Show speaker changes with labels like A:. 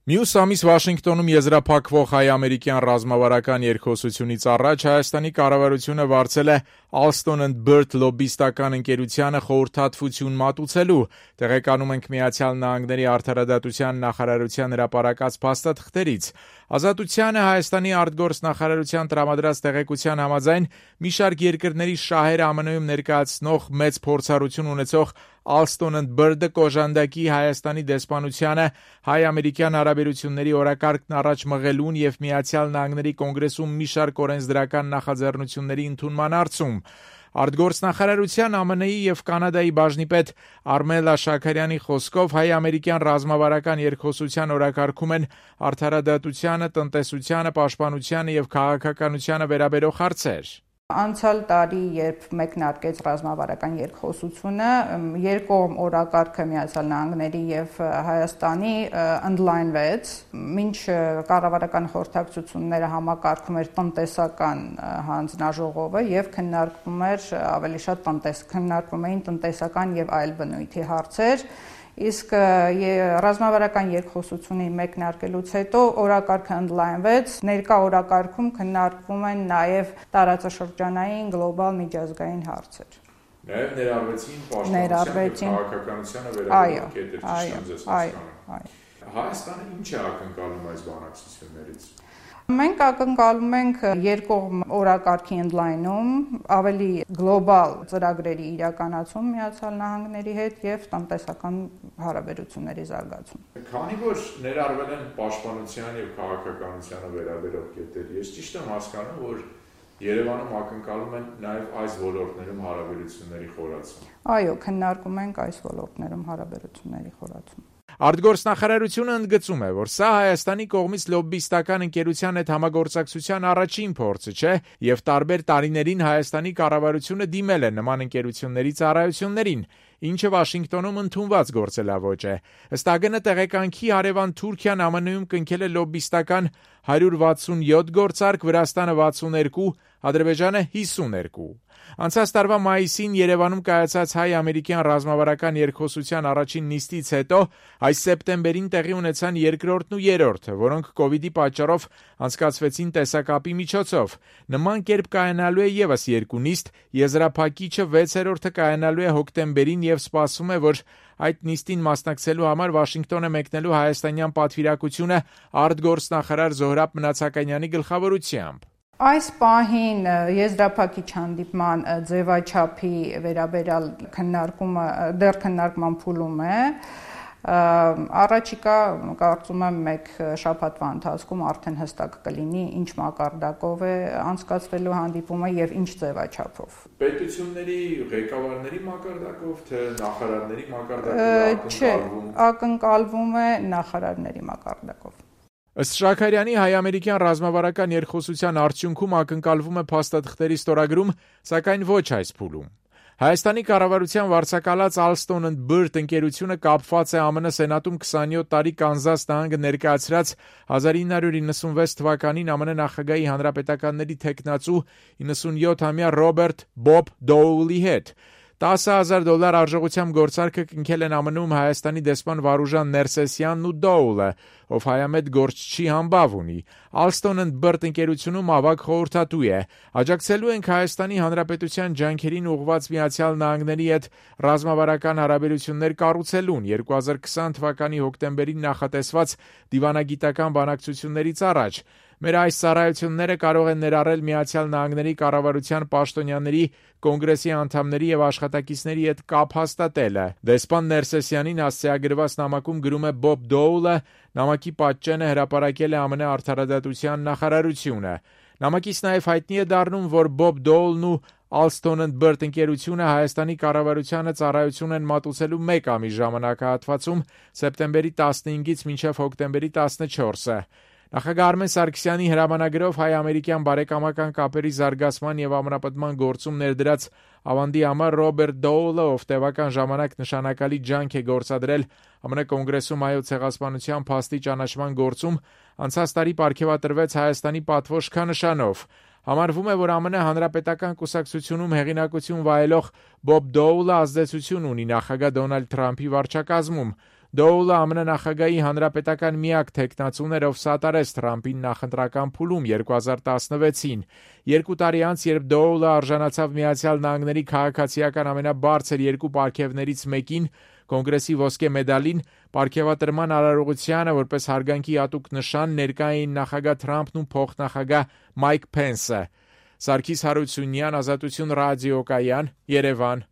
A: Մյուս ամիս Վաշինգտոնում եզրափակվող հայ-ամերիկյան ռազմավարական երկխոսությունից առաջ Հայաստանի կառավարությունը վարձել է Alston and Bird լոբբիստական ընկերությանը խորհրդատվություն մատուցելու, տեղեկանում ենք Միացյալ Նահանգների արդարադատության նախարարության հրապարակած փաստաթղթերից։ Ազատությանը Հայաստանի արտգործնախարարության տրամադրած տեղեկության համաձայն մի շարք երկրների շահերը ԱՄՆ-ում ներկայացնող մեծ փորձառություն ունեցող Alston and Bird-ը կոժանդակի Հայաստանի դեսպանությանը հայ-ամերիկյան հարաբերությունների օրակարգն առաջ մղելուն եւ Միացյալ Նահանգների կոնգրեսում մի շարք օրենսդրական նախաձեռնությունների ընդունման հարցում։ Արտգործնախարարության ԱՄՆ-ի եւ Կանադայի բաժնիպետ Արմելա Շաքարյանի խոսքով հայ-ամերիկյան ռազմավարական երկխոսության օրակարգում են արդարադատությանը, տնտեսությանը, պաշտպանությանը եւ քաղաքականությանը վերաբերող հարցեր։
B: Անցյալ տարի, երբ մեկնարկեց ռազմավարական երկխոսությունը, երկկողմ օրակարգը Միացյալ Նահանգների եւ Հայաստանի ընդլայնվեց, մինչ կառավարական խորհրդակցությունները համակարգում էր տնտեսական հանձնաժողովը եւ քննարկվում էին տնտեսական եւ այլ բնույթի հարցեր, իսկ ռազմավարական երկխոսությունը մեկնարկելուց հետո օրակարգը ընդլայնվեց, ներկա օրակարգում քննարկվում են նաև տարածաշրջանային գլոբալ միջազգային հարցեր։
A: Նաև ներառվեցին պաշտպանության եւ քաղաքականությանը վերաբերող կետեր, ճիշտ եմ ձեզ հասկանում։ Հայաստանը ինչ է ակնկալում այս բանակցություններից։
B: Մենք ակնկալում ենք երկկողմ օրակարգի ընդլայնում, ավելի գլոբալ ծրագրերի իրականացում Միացյալ Նահանգների հետ եւ տնտեսական հարաբերությունների զարգացում։
A: Քանի որ ներառվել են պաշտպանության եւ քաղաքականությանը վերաբերող կետեր, ես ճիշտ եմ հասկանում, որ Երևանում ակնկալում են նաեւ այս ոլորտներում հարաբերությունների խորացում։
B: Այո, քննարկում ենք այս ոլորտներում հարաբերությունների խորացում։
A: Արտգործնախարարությունը ընդգծում է, որ սա Հայաստանի կողմից լոբբիստական ընկերության հետ համագործակցության առաջին փորձը չէ եւ տարբեր տարիներին Հայաստանի կառավարությունը դիմել է նման ընկերությունների ծառայություններին, ինչը Վաշինգտոնում ընդունված գործելավոճ է։ Ըստ ԱԳՆ տեղեկանքի հարևան Թուրքիան ԱՄՆ-ում կնքել է լոբբիստական 167 գործարք, Վրաստանը 62, Ադրբեջանը 52։ Անցած տարվա մայիսին Երևանում կայացած հայ-ամերիկյան ռազմավարական երկխոսության առաջին նիստից հետո այս սեպտեմբերին տեղի ունեցան երկրորդն ու երրորդը, որոնք կովիդի պատճառով անցկացվեցին տեսակապի միջոցով։ Նման կերպ կայանալու է եւս երկու նիստ, եզրափակիչը 6-րդը կայանալու է հոկտեմբերին եւ սպասվում է, որ այդ նիստին մասնակցելու համար Վաշինգտոն է մեկնելու հայաստանյան պատվիրակությունը արտգործնախարար Զոհրաբ Մնացականյանի գլխավորությամբ։
B: Այս պահին եզրափակիչ հանդիպման ձևաչափի վերաբերյալ քննարկման փուլում է։ Առաջիկա կարծում եմ մեկ շաբաթվա ընթացքում արդեն հստակ կլինի ինչ մակարդակով է անցկացվելու հանդիպումը եւ ինչ ձևաչափով։
A: Պետությունների ղեկավարների մակարդակով թե նախարարների մակարդակով
B: Չէ, ակնկալվում է նախարարների մակարդակով։
A: Ըստ Շաքարյանի հայ-ամերիկյան ռազմավարական երկխոսության արդյունքում ակնկալվում է փաստաթղթերի ստորագրում, սակայն ոչ այս փուլում։ Հայաստանի կառավարության վարձակալած Alston and Bird ընկերությունը կապված է ԱՄՆ Սենատում 27 տարի Կանզաս նահանգը ներկայացրած 1996 թվականին ԱՄՆ նախագահի հանրապետականների թեկնածու 97-ամյա Ռոբերտ «Բոբ» Դոուլի հետ։ $10,000 արժողությամբ գործարքը կնքել են ԱՄՆ-ում Հայաստանի դեսպան Վարուժան Ներսեսյանն ու Դոուլը, ով հայամետ գործչի համբավ ունի։ Alston and Bird ընկերությունում ավագ խորհրդատու է։ Աջակցելու ենք Հայաստանի Հանրապետության ջանքերին ուղղված Միացյալ Նահանգների հետ ռազմավարական հարաբերություններ կառուցելուն 2020 թվականի հոկտեմբերին նախատեսված դիվանագիտական բանակցություններից առաջ։ Մեր այս ծառայությունները կարող են ներառել Միացյալ Նահանգների կառավարության պաշտոնյաների, կոնգրեսի անդամների եւ աշխատակիցների հետ կապ հաստատելը։ Դեսպան Ներսեսյանին հասցեագրված նամակում գրում է Բոբ Դոուլը, նամակի պատճենը հրապարակել է ԱՄՆ արդարադատության նախարարությունը։ Նամակից նաեւ հայտնի է դառնում, որ Բոբ Դոուլն ու Alston and Bird ընկերությունը Հայաստանի կառավարությանը ծառայություն են մատուցելու 1 ամիս ժամանակահատվածում սեպտեմբերի 15-ից մինչև հոկտեմբերի 14-ը։ Նախագահ Արմեն Սարգսյանի հրամանագրով հայ-ամերիկյան բարեկամական կապերի զարգացման եւ ամրապնդման գործում ներդրած ավանդի համար Ռոբերտ Դոուլը, ով տևական ժամանակ նշանակալի ջանք է գործադրել ԱՄՆ կոնգրեսում հայոց ցեղասպանության փաստի ճանաչման գործում, անցած տարի պարգևատրվեց Հայաստանի պատվոշքանշանով։ Համարվում է, որ ԱՄՆ հանրապետական կուսակցությունում հեղինակություն վայելող Բոբ Դոուլը ազդեցություն ունի նախագահ Դոնալդ Թրամփի վարչակազմում։ Դոուլը ԱՄՆ նախագահի հանրապետական միակ թեկնածուն էր, ով սատարեց Թրամփին նախընտրական փուլում 2016-ին։ 2 տարի անց, երբ Դոուլը արժանացավ Միացյալ Նահանգների քաղաքացիական ամենաբարձր 2 պարգևներից մեկին, Կոնգրեսի ոսկե մեդալին, պարգևատրման արարողությանը որպես հարգանքի հատուկ նշան ներկա էին նախագահ Թրամփն ու փոխնախագահ Մայք Փենսը։ Սարգիս Հարությունյան, Ազատություն ռադիոկայան, Երևան։